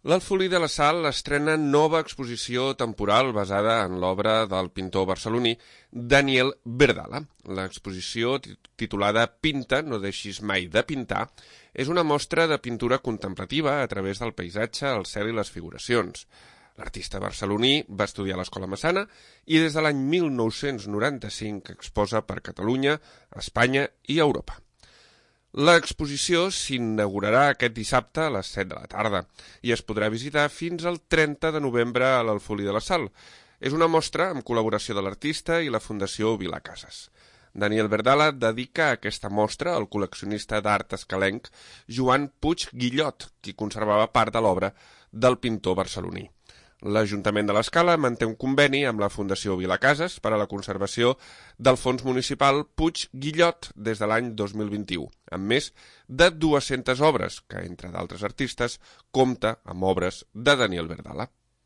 L'Alfolí de la Sal estrena nova exposició temporal basada en l'obra del pintor barceloní Daniel Verdala. L'exposició, titulada Pinta, no deixis mai de pintar, és una mostra de pintura contemplativa a través del paisatge, el cel i les figuracions. L'artista barceloní va estudiar a l'Escola Massana i des de l'any 1995 exposa per Catalunya, Espanya i Europa. L'exposició s'inaugurarà aquest dissabte a les 7 de la tarda i es podrà visitar fins al 30 de novembre a l'Alfolí de la Sal. És una mostra amb col·laboració de l'artista i la Fundació Vilacases. Daniel Verdala dedica aquesta mostra al col·leccionista d'art escalenc Joan Puig Guillot, qui conservava part de l'obra del pintor barceloní. L'Ajuntament de l'Escala manté un conveni amb la Fundació Vilacases per a la conservació del fons municipal Puig Guillot des de l'any 2021, amb més de 200 obres que, entre d'altres artistes, compta amb obres de Daniel Verdala.